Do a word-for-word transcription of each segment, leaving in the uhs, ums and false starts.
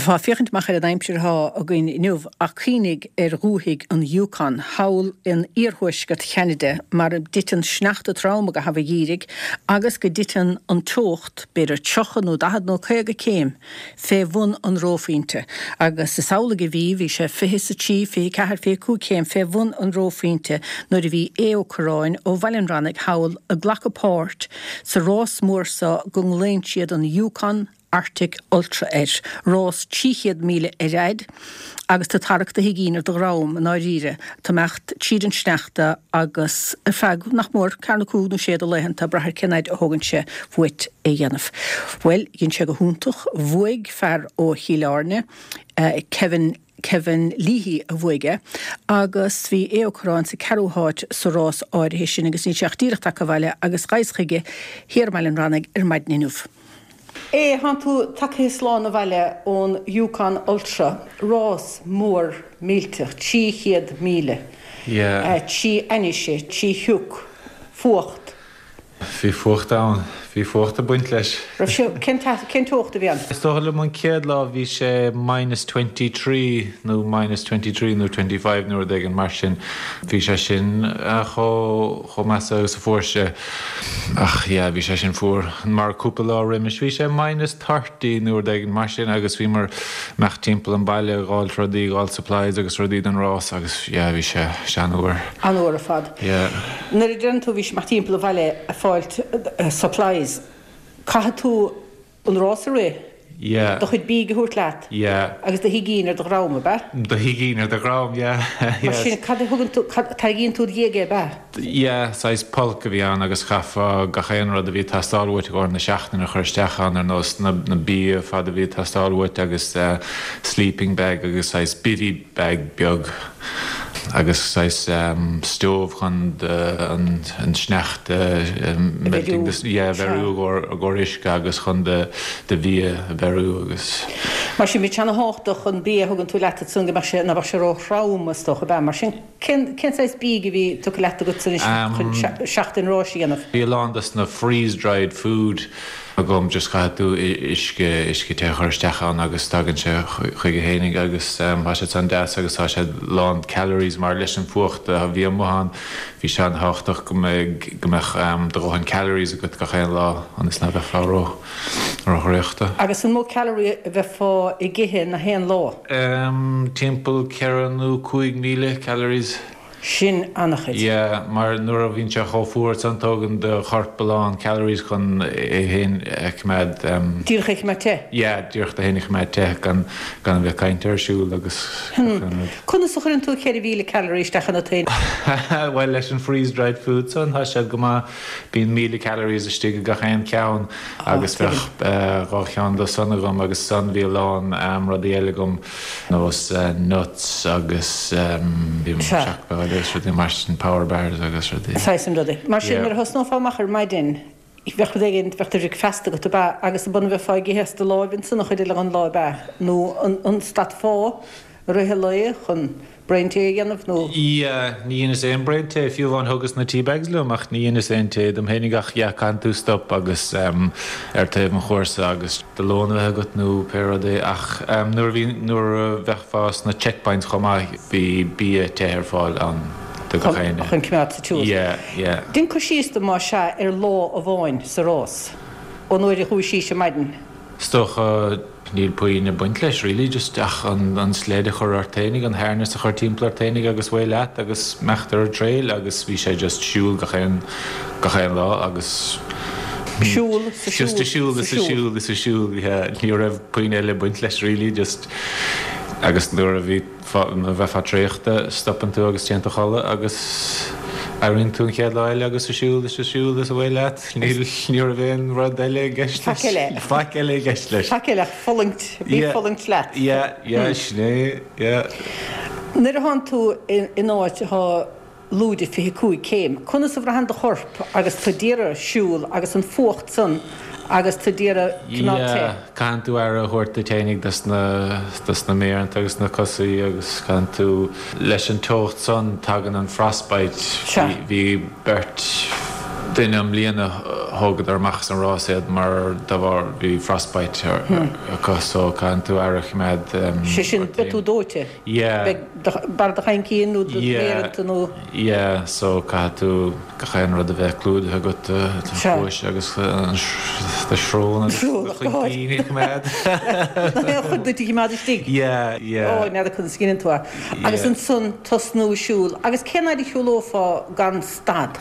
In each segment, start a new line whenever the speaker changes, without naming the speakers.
Bheifeá ag féachaint amach ar an aimsir atá againn inniu ach cuimhnigh ar dhúthaigh an Yukon, thall in iarthuaisceart Cheanada, mar a dtiteann sneachta trom i gcaitheamh an gheimhridh agus go dtiteann an teocht, b'fhéidir tríocha nó daichead nó caoga céim, fé bhun an reophointe. Agus is amhlaidh a bhí, bhí sé fiche is a trí, fiche ceathair, fiche cúig céim fé bhun an reophointe nuair a bhí Aodh Ó Curráin ó Bhaile an Rannaigh thall ag glacadh páirt sa rás mór so go nglaonn siad an Yukon Arctic Ultra air, rás trí chéad míle ar fhaid agus tú ag tarrac do thigín ar do dhrom i ndáiríre, ag imeacht tríd an sneachta agus ar feadh nach mór ceathair nó cúig nó sé de laethanta, ag brath ar cén fhaid a thógann sé uait é a dhéanamh. Bhuel, dhein sé go hiontach, bhuaigh fear ó Chill Airne, Kevin, Kevin Leahy a bhuaigh é agus bhí Aodh Ó Curráin sa ceathrú háit sa rás áirithe sin agus níl sé ach díreach tagtha abhaile agus ghabhas chuige thiar i mBaile an Rannaigh ar maidin inniu. Aodh, thánn tú tagtha slán abhaile ón Yukon Ultra, rás mór millteach, trí chéad míle, trí ainnise, trí shioc, fuacht.
Bhí fuacht ann. Bhí fuacht ag baint leis.
Raibh sé, cén cén teocht a bhí ann?
Is dócha liom an chéad lá bhí sé minus twenty three nó minus twenty three nó twenty five nó rud éigin mar sin. Bhí sé sin chomh chomh measa agus a fuair sé. Ach yeah, bhí sé sin fuar. Mar cúpla lá roimis bhí sé minus thirty nó rud éigin mar sin agus bhíomar ag imeacht timpeall an baile ag fháilt rudaí, ag fháil supplies agus rudaí don rás agus yeah, bhí sé an-fhuar.
An-fhuar ar fad.
Yeah.
Nuair a deireann tú bhí sé imeacht timpeall an bhaile ag fáilt supplies, caithfidh tú an rás a rith,
Yeah.
do chuid bídh a thabhairt leat
Yeah.
agus do thigín ar do dhrom, ab ea?
Do thigín ar do dhrom, yeah.
Mar sin, cad a thugann tú, cad, tarraingíonn tú id dhiaidh é, ab ea?
Yeah, saghas pulk a bhí ann agus chaithfeá gach aon rud a bhí ag teastáil uait i gcomhair na seachtaine a chur isteach ann ar nós na, na bia fad a bhí ag teastáil uait agus sleeping bag agus saghas bivvy bag beag. Agus saghas stove chun an sneachta
a bheiriú.
Yeah, a bheiriú i gcomhair uisce agus chun do bhia a bheiriú agus.
Mar sin, bíonn sé ana-thábhachtach an bia a thugann tú leat ansan go mbeadh sé, ná beadh sé ró-throm is dócha, ab ea? Mar sin, cén, cén saghas bídh a bhí tugtha leat agat anois chun seachtain ráis a dhéanamh?
Bhí a lán dos na freeze-dried food agam, just caithfidh tú uisce, uisce te a chur isteach ann agus tagann sé chuige fhéinig agus tá sé san deas agus tá sé lán calories mar leis an fuacht a bhí amuigh ann bhí sé an-thábhachtach go mbeidh, go mbeadh do dhóthain calories agat gach aon lá ionas ná beifeá ró, ró-thraochta.
Agus an mó calorie a bheifeá ag ithe na haon lá?
Timpeall ceithre nó cúig míle calories.
Sin an-chuid.
Yeah, mar nuair a bhíonn sé chomh fuar san tógann do chorp a lán calories chun é féin a choimeád.
Díreach a choimeád te?
Yeah, díreach é féin a choimeád te gan gan a bheith ag caint ar siúl agus gach aon rud.
Conas a chuireann tú ceithre mhíle calorie isteach ionat féin?
Bhuel, leis an freeze dried food san, tá siad go maith. Bíonn míle calories istigh i gach aon cheann agus bheadh dhá cheann de san agam agus san bhí a lán rudaí eile agam. Nós nuts agus seachbhealach agus rudaí mar sin, power bars agus rudaí.
Saghas sin rudaí. Mar sin, nuair a thosnófá amach ar maidin, bheadh rud éigin, bheadh do bhricfeasta agat, ab ea? Agus an mbeifeá ag ithe as do láimh ansan an chuid eile den lá, ab ea? Nó an stadfá i rith an lae chun braon tae a dhéanamh nó?
Yeah, ní dheineas aon braon tae, fiú amháin thugas na tea bags liom ach ní dheineas aon tae dom fhéinig ach yeah, caitheann tú stop agus ar taobh an chúrsa agus do lón a bheith agat nó pé rud é ach nuair a bhí, nuair a bheifeá sna checkpoints chomh maith bhí bia te ar fáil ann do gach éinne.
Chun coimeád sa tsiúl.
Yeah, yeah.
Déan cur síos dom más ea ar lá amháin sa rás, ón uair a chuaigh síos ar maidin.
Is dócha níl puinn ag baint leis really, just ach an sled a chur ort fhéinig, an harness a chur timpeall ort fhéinig agus away leat agus imeacht ar an trail agus bhí sé just siúl gach aon, gach aon lá agus
Siúl, sa siúl,
just a siúl is a siúl is a siúl, yeah, ní raibh puinn eile ag baint leis really, just agus nuair a bhí nuair a bheifeá traochta stopann tú agus téann tú a chodladh agus éiríonn tú an chéad lá eile agus a siúl is a siúl is away leat, níl, ní raibh aon rud eile i gceist leis.
Faic eile.
Faic eile i gceist leis.
Faic eile ach fulaingt, bí
Yeah.
fulaingt leat.
Yeah, yeah, sin é, yeah.
Nuair a thánn tú in áit atá lúide fiche cúig céim. Conas a bhraitheann do chorp agus tú d'iarraidh siúl agus an fuacht san agus tú d'iarraidh coimeád te?
Yeah, caitheann tú aire a thabhairt duit fhéinig dos na, dos na méireanta agus na cosaí agus caitheann tú, leis an teocht san tagann an frostbite.
Sea.
Bhí, bhí beirt duine i mbliana thógadar amach as an rás iad mar dá bharr bhí frostbite acu so caitheann tú aire a choimeád.
Sé sin, beidh tú dóite.
Yeah.
Beidh barr do chaincín nó do mhéireanta nó.
Yeah, so caithfidh tú gach aon rud a bheith clúdaithe agat, do chluais agus do shrón agus do chuincín a choimeád.
Aon chuid duit a choimeád istigh.
Yeah, yeah.
Ó, n'fheadar conas a dhéanann tú é. Agus ansan tosnú ag siúl. Agus cén fhaid a shiúlófá gan stad?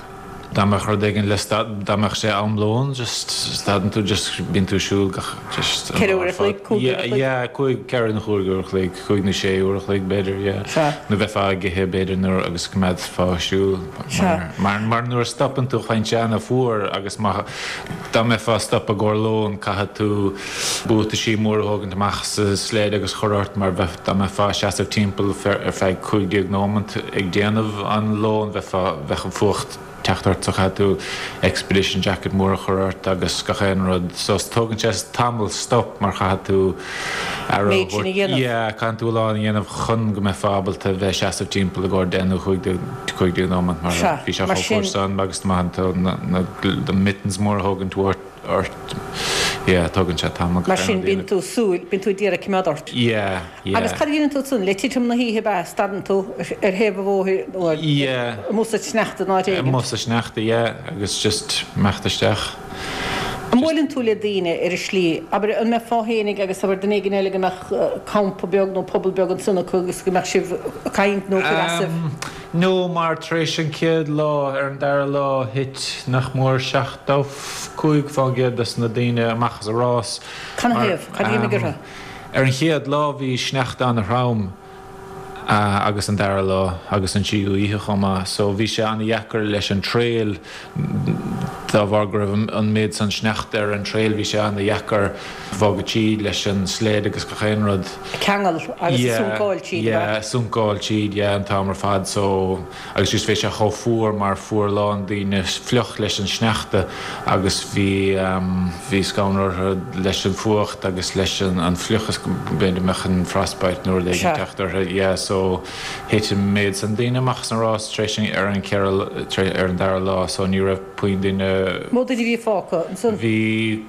Dá mbeadh rud éigin le stad, dá mbeadh sé am lóin, just stadann tú, just bíonn tú ag siúl gach, just
an Ceithre uair a chloig, cúig uair a chloig?
Yeah, cúig, ceithre nó cúig uair a chloig, cúig nó sé uair a chloig b'fhéidir, yeah.
Sea.
Nó bheifeá ag ithe b'fhéidir nuair agus coimeádfá ag siúl.
Sea.
Mar, mar nuair a stopann tú faigheann sé ana-fhuar agus má, dá mbeifeá ag stopadh i gcomhair lóin caithfidh tú buataisí móra a thógaint amach sa sled agus chur ort mar bheith, dá mbeifeá ag seasamh timpeall ar feadh cúig déag nóimint ag déanamh an lóin bheifeá, bheadh an fuacht teacht ort so chaithfidh tú expedition jacket mór a chur ort agus gach aon rud so tógann sé tamall stop mar chaithfidh tú aire a
Méid sin a
thabhairt
dhéanamh.
yeah caithfidh tú a lán a dhéanamh chun go mbeifeá ábalta bheith seasamh timpeall i gcomhair deich nó cúig déag cúig déag nóiméad mar
Sea,
bhí sé
mar
chomh
sin
fuar san agus má théann tú na na na mittens mór a thógaint ort ort yeah tógann sé tamall
Mar
gach aon
sin
rud a
bíonn
dhéanamh.
tú súil, bíonn tú ag iarraidh coimeád ort.
Yeah, yeah.
Agus cad a dhéanann tú ansan? Le titim na hoíche ab ea? Stadann tú ar thaobh an bhóthair nó ar
Yeah.
amuigh sa sneachta in áit éigin?
Amuigh sa sneachta, yeah, agus just imeacht isteach.
An mbuaileann tú le daoine ar an slí? Abair, an mbeifeá fhéinig agus abair duine éigin eile go mbeadh campa beag nó puball beag ansan acu agus go mbeadh sibh ag caint nó ag cur asaibh?
Um, no, mar tar éis an chéad lá, ar an dara lá, thit nach mór seachtó cúig fán gcéad des na daoine amach as an rás.
Cad ina thaobh? Cad a d'imigh orthu?
Ar an chéad lá bhí sneachta ana-throm agus an dara lá agus an tríú oíche chomh maith so bhí sé ana-dheacair leis an trail dá bharr go raibh an méid san sneachta ar an trail bhí sé ana-dheacair bogadh tríd leis an sled agus gach aon rud.
Ceangal agus suncáil tríd,
Yeah, yeah, suncáil tríd, yeah, an t-am ar fad so agus just bhí sé chomh fuar mar fuair a lán daoine fliuch leis an sneachta agus bhí um, bhí scanradh orthu leis an fuacht agus leis an, an fliuchas b'fhéidir mbeadh an frostbite nó rud éigin
Sea.
teacht orthu, yeah, so thit an méid san daoine amach san rás tar éis ar an ceithre ar an dara lá so ní raibh puinn daoine
Mó duine a bhí fágtha ansan?
Bhí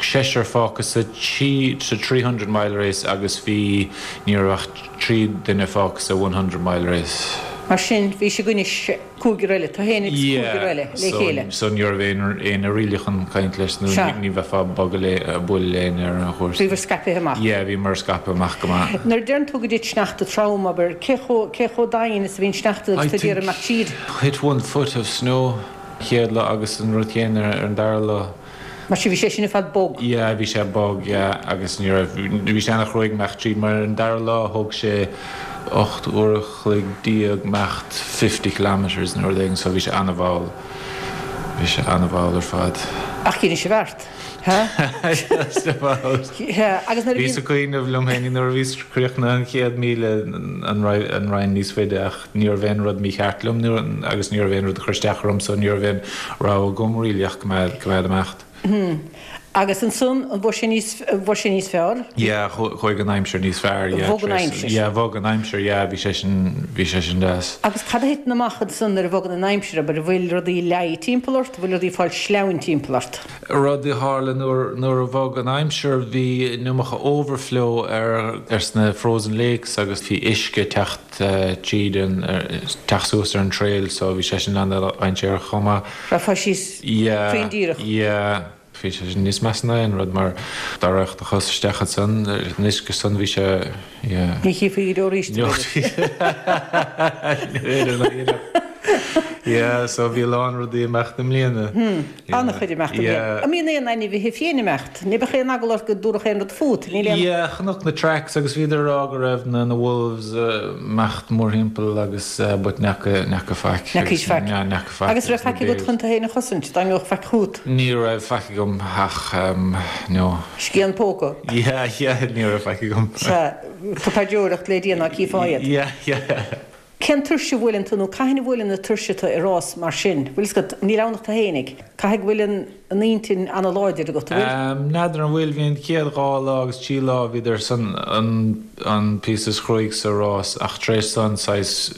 seisear fágtha sa trí sa three hundred mile race agus bhí ní raibh ach trí duine fágtha sa one hundred mile race.
Mar sin bhí sibh anois cúigear eile, tú féin agus cúigear eile le chéile.
So so ní raibh aon éinne really chun caint leis nó
Sea.
ní bheifeá ag bogadh le bualadh le éinne ar an chúrsa.
Bhíobhair scaipthe amach.
Yeah, bhíomar scaipthe amach go maith.
Nuair a deireann tú go dtit sneachta trom, abair, cé chomh cé chomh domhain is a bhíonn sneachta agus
I
tú ag iarraidh
think
imeacht tríd?
Thit one foot of snow chéad lá agus an rud céanna ar an dara lá.
Mar sin bhí sé sin ar fad bog.
Yeah, bhí sé bog, yeah, agus ní raibh, bhí sé ana-chruaidh imeacht tríd mar ar an dara lá thóg sé ocht uair a chloig déag imeacht fifty kilometres nó rud éigin so bhí sé ana-mhall. Bhí sé ana-mhall ar fad.
Ach dhein sibh art, ha?
Just about.
Yeah, agus nuair a
Bhíos
bhíonn.
ag cuimhneamh liom féin nuair a bhíos críochnaithe an chéad míle an raibh an raghainn níos faide ach ní raibh aon rud mícheart liom nuair agus ní raibh aon rud a chuir isteach orm so ní raibh aon rogha agam really ach coimeád coimeád imeacht.
Agus ansan, an bhfuair sé níos, an bhfuair sé níos fearr?
Yeah, chuaigh an aimsir níos fearr, yeah.
Bhog an aimsir.
Yeah, bhog an aimsir, yeah, bhí sé sin, bhí sé sin deas.
Agus cad a thiteann amach ansan nuair a bhogann an aimsir, abair, an bhfuil rudaí leáigh timpeall ort, an bhfuil rudaí ag fáil sleamhain timpeall ort?
Rud a tharla nuair, nuair a bhog an aimsir, bhí an iomarca overflow ar, ar sna frozen lakes agus bhí uisce ag teacht tríd an, teacht suas ar an trail so bhí sé sin an-dainséarach chomh maith.
Rachfá síos
Yeah,
cruinn díreach.
yeah. Bhí sé sin níos measa ná aon rud mar dá rachadh do chos isteach ansan, an uisce san bhí sé, yeah.
Ní chífí go deo arís, b'fhéidir.
Ní b'fhéidir. Yeah, so bhí a lán rudaí ag imeacht i mbliana.
Hmm, an-chuid ag imeacht i mbliana.
Yeah.
An mbíonn aon ainmhithe fiáine ag imeacht? Ní bheadh aon eagla ort go dtabharfadh aon rud fút, níl aon.
Yeah, chonac na tracks agus bhíodar ag rá go raibh na na wolves ag imeacht mórthimpeall agus but n'fheaca n'fheaca faic.
N'fheacaís faic.
Yeah, n'fheaca faic.
Agus raibh faic agat chun tú féin a chosaint, dá mbeadh faic fút?
Ní raibh faic agam ach no.
Scian póca?
Yeah, yeah, ní raibh faic agam.
Sea, tú ag paidreoireacht le Dia ná cífeá iad.
Yeah, yeah.
Cén tuirse a bhuaileann tú nó cathain a bhuaileann an tuirse tú i rás mar sin? Bhfuil fhios agat, níl ann ach tú fhéinig. Caithfidh go bhfuil an an intinn ana-láidir agat, an bhfuil?
N'fheadar an bhfuil, bhí an chéad dhá lá agus trí lá bhíodar san an an píosa is cruaidh sa rás ach tar éis san saghas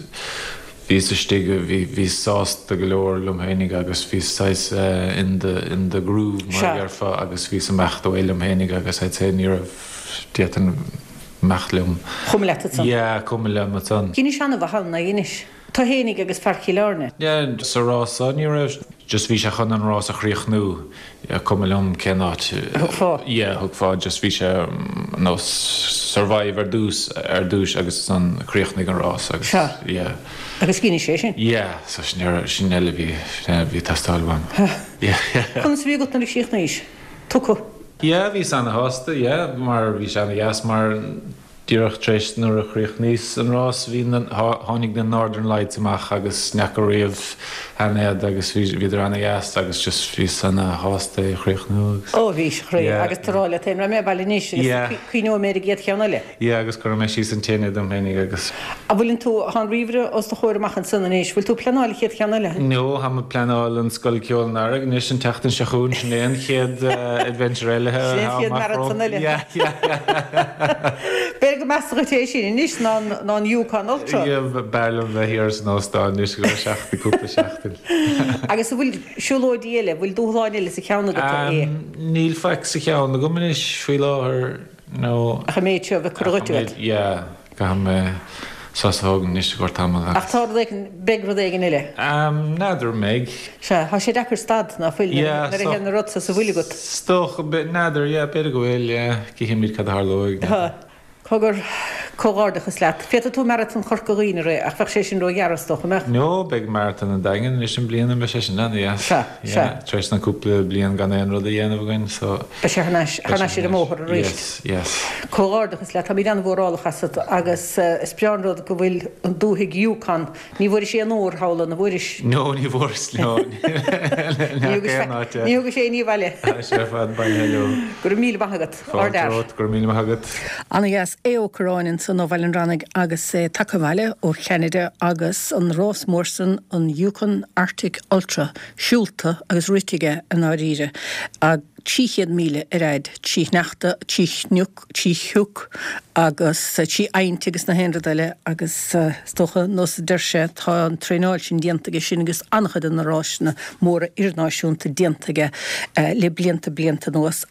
bhíos istigh bhí bhí sásta go leor liom féinig agus bhí saghas uh, in the in the groove mar
Sea.
déarfá agus bhíos amach do liom féinig agus I'd say ní raibh d'fhéadfainn imeacht liom.
Chuma leat ansan.
Yeah, cuma liom ansan.
Dheinis an-mhaith ann, dheinis. Tú fhéinig agus fear Chill Airne.
Yeah, sa rás ní raibh just bhí sé chun an rás a chríochnú cuma liom cén áit.
Thugfá.
Yeah, thugfá just bhí sé mm, nó survive ar dtús ar dtús agus an chríochnaigh an rás agus
Sea.
yeah.
Agus dheinis sé sin.
Yeah, so sin sin eile bhí bhí teastáil uaim. Yeah, yeah.
Conas bhí agat nuair a chríochnaís. Tucu.
Yeah, bhí an-shásta, yeah, mar bhí sé an-dheas mar díreach tar éis nuair a chríochnaíos an rás bhí tháinig na Northern Lights amach agus neacha riamh anéad agus bhíodar an-dheas agus just bhí an-shásta é chríochnú agus.
Ó bhí chroí
Yeah.
agus tá le ra mé baile níos
Yeah.
cuimhneoidh mé ar an gcéad cheann eile.
Yeah, agus chuir mé síos an tine dom féinig agus
An bhfuil tú an ríomhaire os do chomhair amach ansan anois, bhfuil tú pleanáil chéad cheann eile?
No tá mé pleanáil an Scoil Ceoil an Earraigh anois an tseachtain seo chugainn sin é an chéad uh, adventure eile.
Sin é an chéad marathon eile.
Yeah, yeah, yeah.
B'fhéidir go measa dhuit é sin anois ná ná an Yukon Ultra.
Yeah, b'fhearr liom bheith thiar san óstán anois go seachtain cúpla seachtain.
Agus an bhfuil siúlóidí eile, bhfuil dúshláin eile sa cheann agat é.
Um, níl faic sa cheann agam anois faoi láthair nó
Ach an méid seo bheith cur dhuit.
Yeah, caithfidh mé sos a thógáil anois go tamall.
Ach tá rud éigin beidh rud éigin eile.
Um, N'fheadar mbeidh.
Se tá sé deacair stad ná fuil
Yeah,
nuair a
so-
théann na rud sa bhfuil agat.
Stoch n'fheadar, yeah, b'fhéidir go bhfuil, yeah, cífimid cad a tharlóidh.
Tá Cogar comhghairdeachas leat. Féadfaidh tú maratón Chorca Dhuibhne rith ach bheadh sé sin róghearr is dócha mbeadh.
No, beidh maratón an Daingin anois an bliana me sé sin an yes.
Sea, sea.
Tar éis na cúpla bliain gan aon rud a dhéanamh againn, so
Beidh sé thar n-ais ar an mbóthar arís.
Yes, yes.
Comhghairdeachas leat tá mé an-mhórálach asat agus eh, is breá an rud go bhfuil an dúthaigh Yukon, ní bhfuair sé an ór thall an bhfuair.
No, ní bhfuair no.
Ní thug sé ní bhaile.
sé fad baile leo.
Go raibh míle maith agat
Ard go raibh míle maith agat.
An-dheas Aodh Ó Curráin ansan ó Bhaile an Bhranaigh agus é tagtha abhaile ó Cheanada agus an rás mór san an Yukon Arctic Ultra siúlta agus rite aige i ndáiríre a trí chéad míle ar fhad trí shneachta trí chnoc trí shioc agus trí aint agus na haon rud eile agus is dócha nós a deir sé tá an traenáil sin déanta aige sin agus an-chuid de na rásanna móra idirnáisiúnta déanta aige le blianta blianta anuas